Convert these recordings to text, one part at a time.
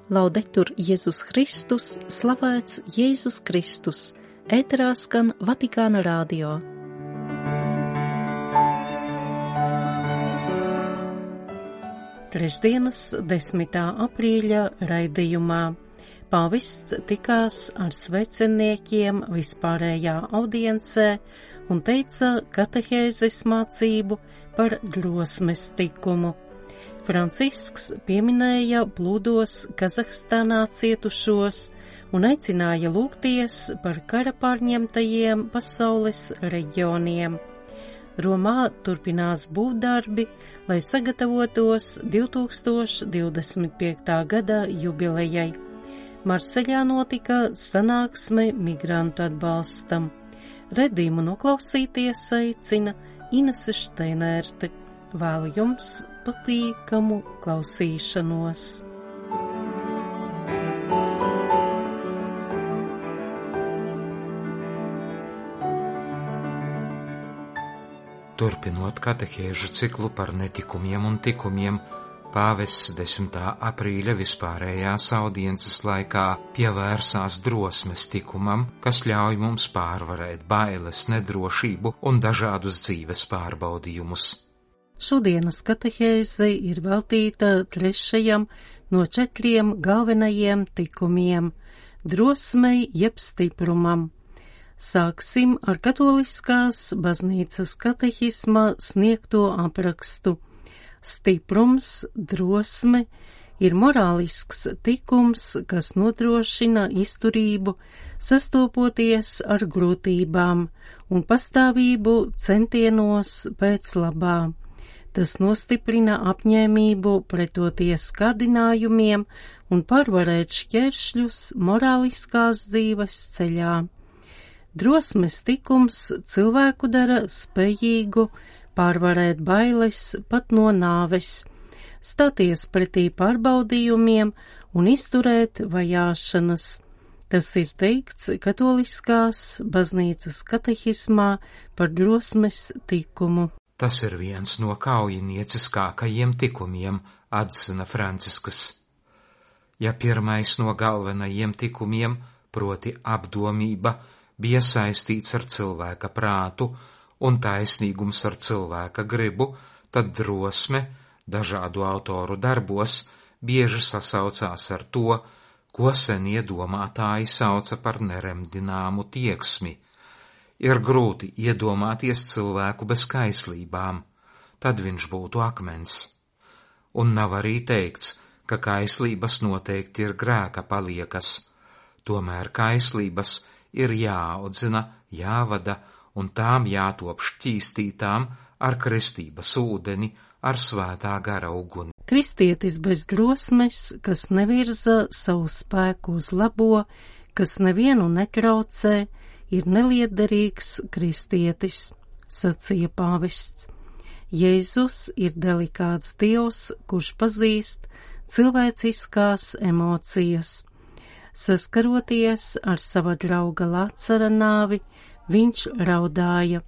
Laudetur Jēzus Kristus, slavēts Jēzus Kristus, ēterā skan Vatikāna radio. Trešdienas 10. aprīļa raidījumā pāvests tikās ar sveceniekiem vispārējā audiencē un teica katehēzes mācību par drosmes tikumu. Francisks pieminēja plūdos Kazahstānā cietušos un aicināja lūgties par kara pārņemtajiem pasaules reģioniem. Romā turpinās būvdarbi, lai sagatavotos 2025. gada jubilejai. Marseļā notika sanāksme migrantu atbalstam. Redzījumu noklausīties aicina Inese Šteinerte. Vēlu jums patīkamu klausīšanos. Turpinot katehēžu ciklu par netikumiem un tikumiem, pāvests 10. aprīļa vispārējās audiences laikā pievērsās drosmes tikumam, kas ļauj mums pārvarēt bailes, nedrošību un dažādus dzīves pārbaudījumus. Šodienas katehēze ir veltīta trešajam no 4 galvenajiem tikumiem – drosmei jeb stiprumam. Sāksim ar katoliskās baznīcas katehisma sniegto aprakstu. Stiprums, drosme ir morālisks tikums, kas nodrošina izturību, sastopoties ar grūtībām un pastāvību centienos pēc labā. Tas nostiprina apņēmību pretoties kārdinājumiem un pārvarēt šķēršļus morāliskās dzīves ceļā. Drosmes tikums cilvēku dara spējīgu pārvarēt bailes pat no nāves, stāties pretī pārbaudījumiem un izturēt vajāšanas. Tas ir teikts katoliskās baznīcas katehismā par drosmes tikumu. Tas ir viens no kaujinieciskākajiem tikumiem, atzina Francisks. Ja pirmais no galvenajiem tikumiem, proti apdomība, bija saistīts ar cilvēka prātu un taisnīgums ar cilvēka gribu, tad drosme dažādu autoru darbos bieži sasaucās ar to, ko senie domātāji sauca par neremdināmu tieksmi. Ir grūti iedomāties cilvēku bez kaislībām, tad viņš būtu akmens. Un nav arī teikts, ka kaislības noteikti ir grēka paliekas, tomēr kaislības ir jāaudzina, jāvada un tām jātop šķīstītām ar kristības ūdeni, ar svētā gara uguni. Kristietis bez drosmes, kas nevirza savu spēku uz labo, kas nevienu netraucē, ir neliederīgs kristietis, sacīja pāvests. Jēzus ir delikāts Dievs, kurš pazīst cilvēciskās emocijas. Saskaroties ar sava drauga Lācara nāvi, viņš raudāja.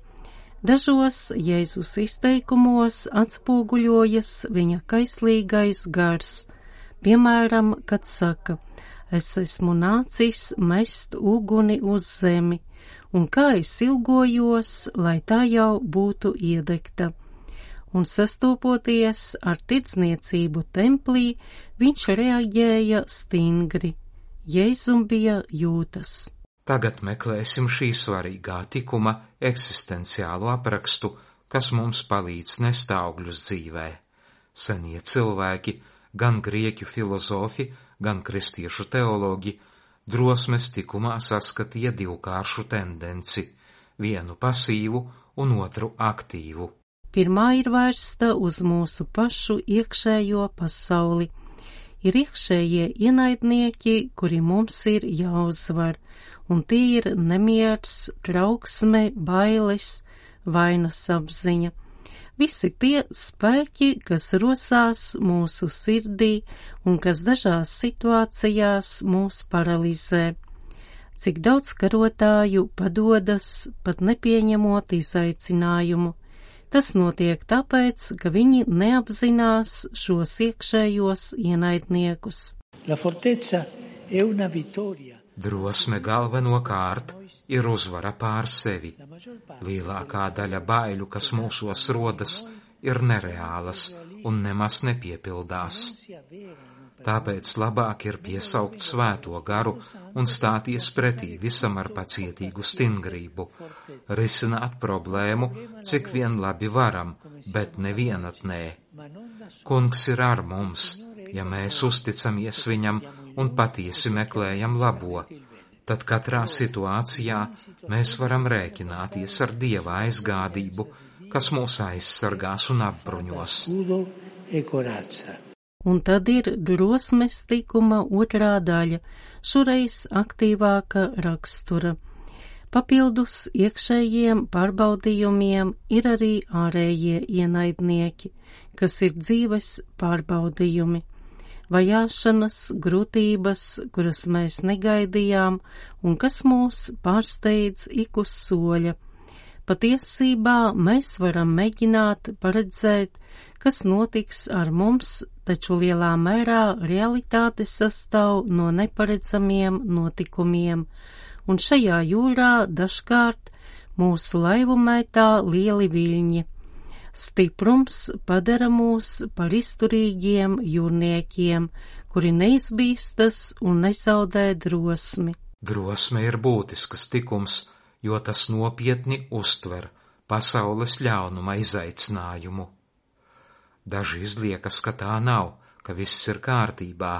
Dažos Jēzus izteikumos atspoguļojas viņa kaislīgais gars, piemēram, kad saka: es esmu nācis mest uguni uz zemi, un kā es ilgojos, lai tā jau būtu iedegta. Un sastopoties ar tirdzniecību templī, viņš reaģēja stingri. Jēzum bija jūtas. Tagad meklēsim šī svarīgā tikuma eksistenciālo aprakstu, kas mums palīdz nest augļus dzīvē. Senie cilvēki, gan grieķu filozofi, gan kristiešu teologi, drosmes tikumā saskatīja divkāršu tendenci, vienu pasīvu un otru aktīvu. Pirmā ir vērsta uz mūsu pašu iekšējo pasauli. Ir iekšējie ienaidnieki, kuri mums ir jāuzvar, un tie ir nemiers, trauksme, bailes, vainas apziņa. Visi tie spēki, kas rosās mūsu sirdī un kas dažās situācijās mūs paralizē. Cik daudz karotāju padodas, pat nepieņemot izaicinājumu. Tas notiek tāpēc, ka viņi neapzinās šos iekšējos ienaidniekus. La fortezza è una vittoria. Drosme galvenokārt ir uzvara pār sevi. Lielākā daļa baiļu, kas mūsos rodas, ir nereālas un nemaz nepiepildās. Tāpēc labāk ir piesaukt svēto garu un stāties pretī visam ar pacietīgu stingrību, risināt problēmu, cik vien labi varam, bet nevienatnē. Kungs ir ar mums, ja mēs uzticamies viņam un patiesi meklējam labo, tad katrā situācijā mēs varam rēķināties ar Dieva aizgādību, kas mūs aizsargās un apbruņos. Un tad ir drosmes tikuma otrā daļa, šoreiz aktīvāka rakstura. Papildus iekšējiem pārbaudījumiem ir arī ārējie ienaidnieki, kas ir dzīves pārbaudījumi. Vajāšanas, grūtības, kuras mēs negaidījām un kas mūs pārsteidz ik uz soļa. Patiesībā mēs varam mēģināt paredzēt, kas notiks ar mums, taču lielā mērā realitāte sastāv no neparedzamiem notikumiem, un šajā jūrā dažkārt mūsu laivu mētā lieli viļņi. Stiprums padara mūs par izturīgiem jūrniekiem, kuri neizbīstas un nezaudē drosmi. Drosme ir būtisks tikums, jo tas nopietni uztver pasaules ļaunuma izaicinājumu. Daži izliekas, ka tā nav, ka viss ir kārtībā,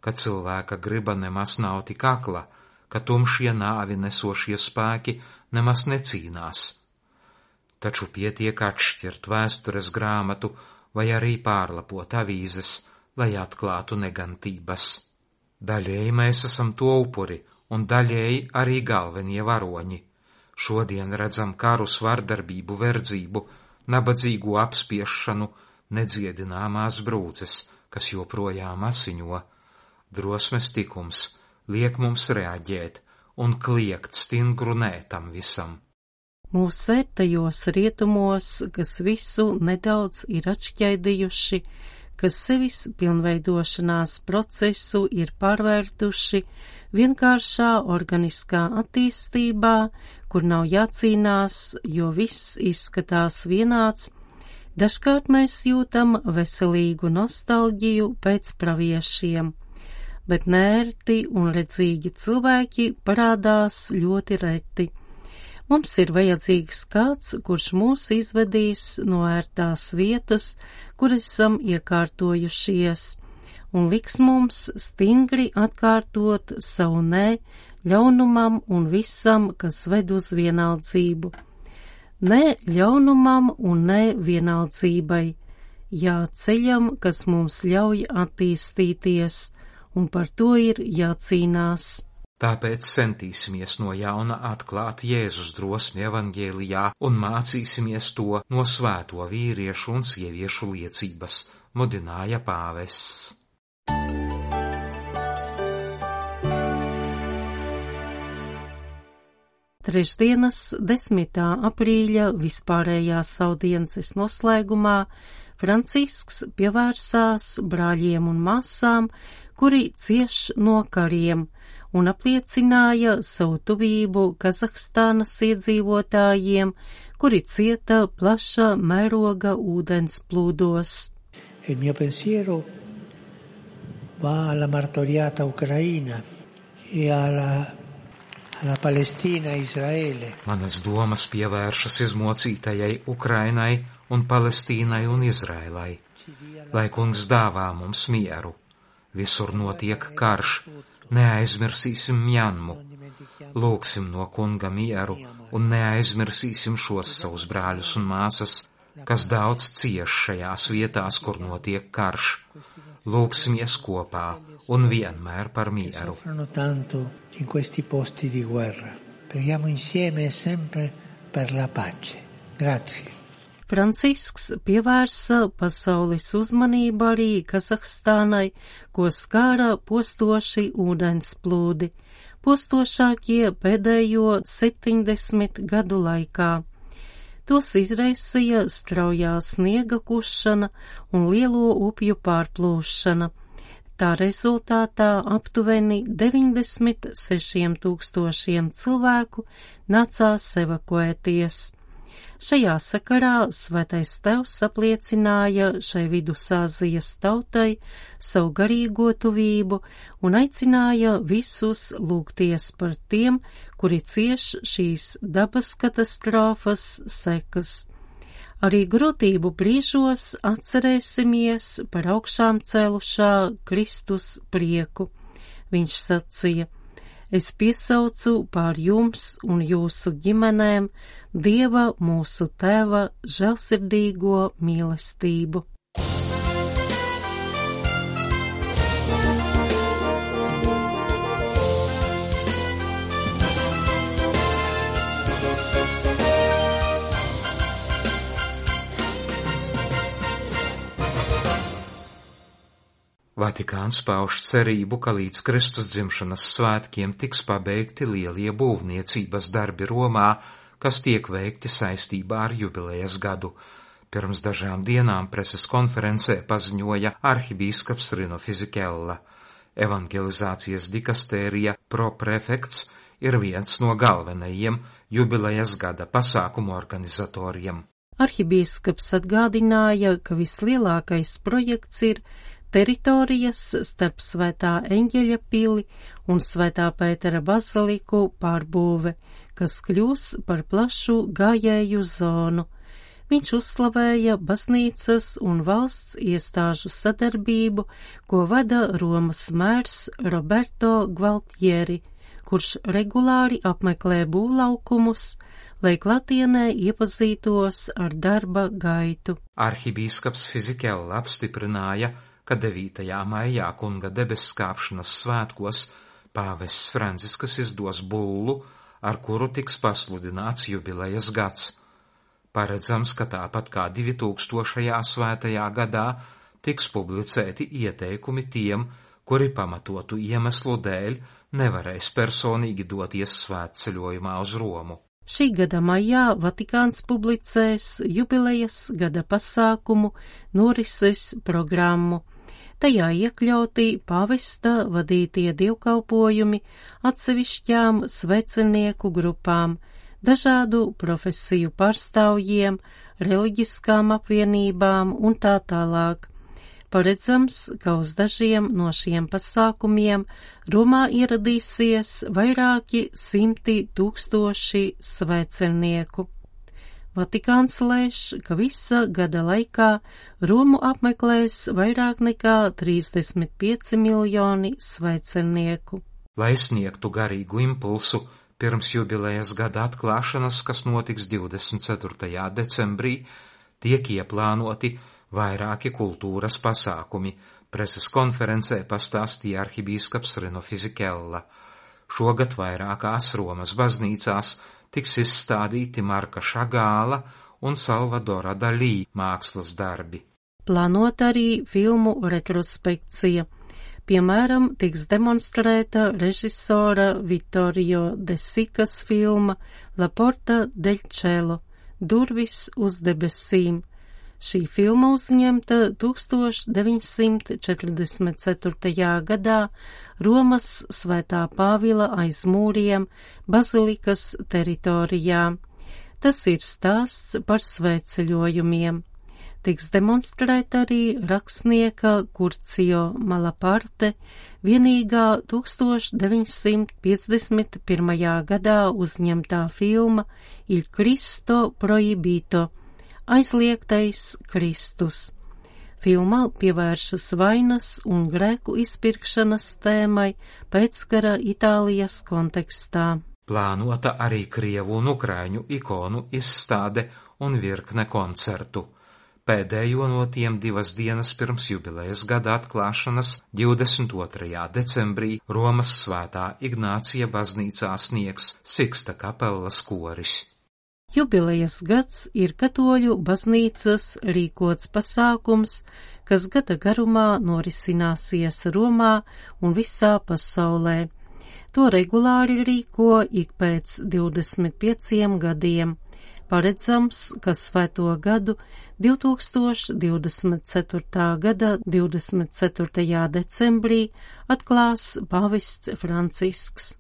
ka cilvēka griba nemaz nav tik akla, ka tumšie nāvi nesošie spēki nemaz necīnās. Taču pietiek atšķirt vēstures grāmatu vai arī pārlapot avīzes, lai atklātu negantības. Daļēji mēs esam to upuri un daļēji arī galvenie varoņi. Šodien redzam karus, vardarbību, verdzību, nabadzīgu apspiešanu, nedziedināmās brūces, kas joprojām asiņo. Drosmes tikums liek mums reaģēt un kliegt stingru nē tam visam. Mūsu ērtajos rietumos, kas visu nedaudz ir atšķaidījuši, kas sevis pilnveidošanās procesu ir pārvērtuši vienkāršā organiskā attīstībā, kur nav jācīnās, jo viss izskatās vienāds, dažkārt mēs jūtam veselīgu nostalģiju pēc praviešiem, bet neērti un redzīgi cilvēki parādās ļoti reti. Mums ir vajadzīgs kāds, kurš mūs izvedīs no ērtās vietas, kur esam iekārtojušies, un liks mums stingri atkārtot savu nē ļaunumam un visam, kas ved uz vienaldzību. Nē ļaunumam un nē vienaldzībai, jā ceļam, kas mums ļauj attīstīties, un par to ir jācīnās. Tāpēc centīsimies no jauna atklāt Jēzus drosmi evaņģēlijā un mācīsimies to no svēto vīriešu un sieviešu liecības, mudināja pāvests. Trešdienas 10. aprīļa vispārējās audiences noslēgumā Francisks pievērsās brāļiem un māsām, kuri cieš no kariem, un apliecināja savu tuvību Kazahstānas iedzīvotājiem, kuri cieta plaša mēroga ūdens plūdos. Il mio pensiero va alla martoriata Ucraina e alla Palestina, Israele. Manas domas pievēršas izmocītajai Ukrainai un Palestīnai un Izraēlai, lai Kungs dāvā mums mieru. Visur notiek karš. Neaizmirsīsim Mjanmu, lūgsim no Kunga mieru un neaizmirsīsim šos savus brāļus un māsas, kas daudz cieš šajās vietās, kur notiek karš. Lūgsimies kopā un vienmēr par mieru. Francisks pievērsa pasaules uzmanību arī Kazahstānai, ko skāra postoši ūdensplūdi, postošākie pēdējo 70 gadu laikā. Tos izraisīja straujā sniega kušana un lielo upju pārplūšana. Tā rezultātā aptuveni 96,000 cilvēku nācās evakuēties. Šajā sakarā Svētais Tevs apliecināja šai Vidusāzijas tautai savu garīgo tuvību un aicināja visus lūgties par tiem, kuri cieš šīs dabas katastrofas sekas. Arī grūtību brīžos atcerēsimies par augšām cēlušā Kristus prieku. Viņš sacīja: Es piesaucu pār jums un jūsu ģimenēm Dieva mūsu Tēva žēlsirdīgo mīlestību. Vatikāns pauž cerību, ka līdz Kristus dzimšanas svētkiem tiks pabeigti lielie būvniecības darbi Romā, kas tiek veikti saistībā ar jubilejas gadu. Pirms dažām dienām preses konferencē paziņoja arhibīskaps Rino Fisichella. Evangelizācijas dikastērija proprefekts ir viens no galvenajiem jubilejas gada pasākumu organizatoriem. Arhibīskaps atgādināja, ka vislielākais projekts ir teritorijas starp Svētā Eņģeļa pili un Svētā Pētera baziliku pārbūve, kas kļūs par plašu gājēju zonu. Viņš uzslavēja baznīcas un valsts iestāžu sadarbību, ko vada Romas mērs Roberto Gualtieri, kurš regulāri apmeklē būvlaukumus, lai klātienē iepazītos ar darba gaitu. Arhibīskaps Fisichella apstiprināja, ka 9. maijā Kunga debesskāpšanas svētkos pāvests Francisks izdos bullu, ar kuru tiks pasludināts jubilejas gads. Paredzams, ka tāpat kā 2000. svētajā gadā tiks publicēti ieteikumi tiem, kuri pamatotu iemeslu dēļ nevarēs personīgi doties svētceļojumā uz Romu. Šī gada maijā Vatikāns publicēs jubilejas gada pasākumu norises programmu. Tajā iekļauti pāvesta vadītie dievkalpojumi atsevišķām svecenieku grupām, dažādu profesiju pārstāvjiem, reliģiskām apvienībām un tā tālāk. Paredzams, ka uz dažiem no šiem pasākumiem Romā ieradīsies vairāki 100,000 svecenieku. Vatikāns lēš, ka visa gada laikā Romu apmeklēs vairāk nekā 35 miljoni svecenieku. Lai sniegtu garīgu impulsu pirms jubilejas gada atklāšanas, kas notiks 24. decembrī, tiek ieplānoti vairāki kultūras pasākumi, preses konferencē pastāstīja arhibīskaps Rino Fisichella. Šogad vairākās Romas baznīcās tiks izstādīti Marka Šagāla un Salvadora Dalī mākslas darbi. Plānot arī filmu retrospekcija. Piemēram, tiks demonstrēta režisora Vittorio De Sicas filma La Porta del Cielo – Durvis uz debesīm. Šī filma uzņemta 1944. gadā Romas Svētā Pāvila aiz mūriem bazilikas teritorijā. Tas ir stāsts par svētceļojumiem. Tiks demonstrēta arī rakstnieka Curcio Malaparte vienīgā 1951. gadā uzņemtā filma Il Cristo Proibito – Aizliegtais Kristus. Filmā pievēršas vainas un grēku izpirkšanas tēmai pēckara Itālijas kontekstā. Plānota arī krievu un ukraiņu ikonu izstāde un virkne koncertu. Pēdējo no tiem 2 dienas pirms jubilejas gada atklāšanas 22. decembrī Romas Svētā Ignācija baznīcā sniegs Siksta kapellas koris. Jubilejas gads ir katoļu baznīcas rīkots pasākums, kas gada garumā norisināsies Romā un visā pasaulē. To regulāri rīko ik pēc 25 gadiem. Paredzams, ka svēto gadu 2024. gada 24. decembrī atklās pāvests Francisks.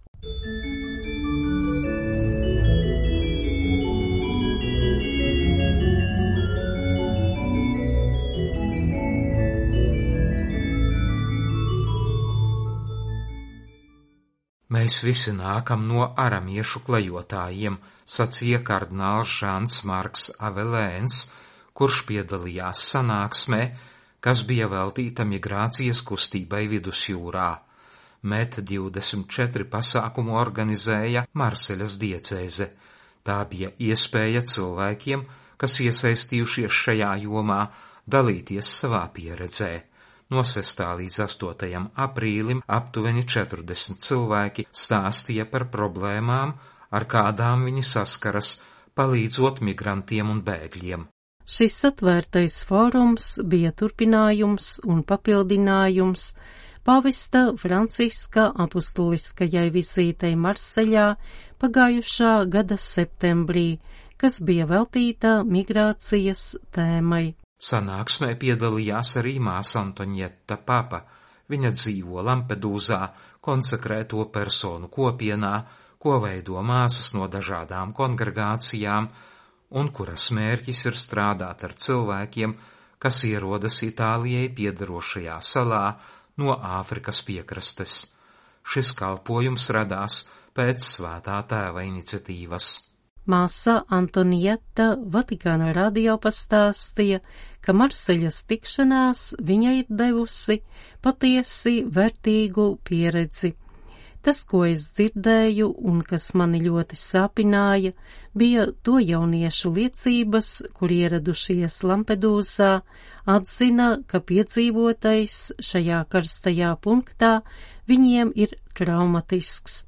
Mēs visi nākam no aramiešu klejotājiem, sacīja kardināls Žans Marks Avelēns, kurš piedalījās sanāksmē, kas bija veltīta migrācijas kustībai Vidusjūrā. MET 24 pasākumu organizēja Marseļas diecēze. Tā bija iespēja cilvēkiem, kas iesaistījušies šajā jomā, dalīties savā pieredzē. No 6. līdz 8. aprīlim aptuveni 40 cilvēki stāstīja par problēmām, ar kādām viņi saskaras, palīdzot migrantiem un bēgļiem. Šis atvērtais fórums bija turpinājums un papildinājums pāvesta Franciska apustuliskajai vizītei Marseļā pagājušā gada septembrī, kas bija veltīta migrācijas tēmai. Sanāksmē piedalījās arī māsa Antonieta Papa. Viņa dzīvo Lampedūzā, konsekrēto personu kopienā, ko veido māsas no dažādām kongregācijām, un kuras mērķis ir strādāt ar cilvēkiem, kas ierodas Itālijai piederošajā salā no Āfrikas piekrastes. Šis kalpojums radās pēc Svētā Tēva iniciatīvas. Māsa Antonieta Vatikāna radio pastāstīja, ka Marseļas tikšanās viņai ir devusi patiesi vērtīgu pieredzi. Tas, ko es dzirdēju un kas mani ļoti sāpināja, bija to jauniešu liecības, kur ieradušies Lampedūzā, atzina, ka piedzīvotais šajā karstajā punktā viņiem ir traumatisks.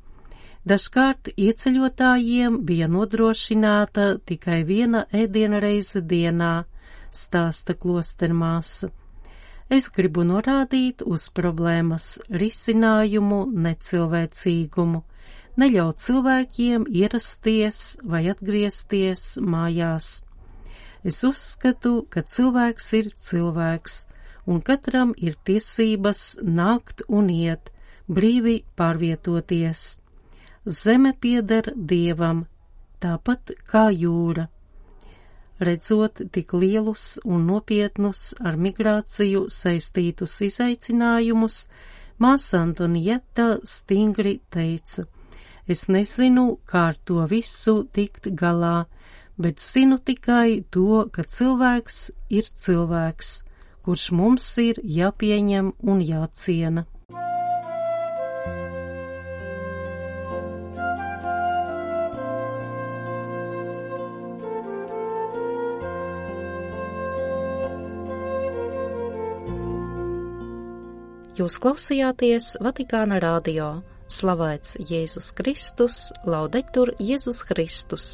Dažkārt ieceļotājiem bija nodrošināta tikai viena ēdienreize dienā, stāsta klostermāsa. Es gribu norādīt uz problēmas risinājumu necilvēcīgumu, neļaut cilvēkiem ierasties vai atgriezties mājās. Es uzskatu, ka cilvēks ir cilvēks, un katram ir tiesības nākt un iet, brīvi pārvietoties. Zeme pieder Dievam, tāpat kā jūra. Redzot tik lielus un nopietnus ar migrāciju saistītus izaicinājumus, māsa Antonieta stingri teica: es nezinu, kā ar to visu tikt galā, bet zinu tikai to, ka cilvēks ir cilvēks, kurš mums ir jāpieņem un jāciena. Jūs klausījāties Vatikāna radio. Slavēts Jēzus Kristus, laudetur Jēzus Kristus.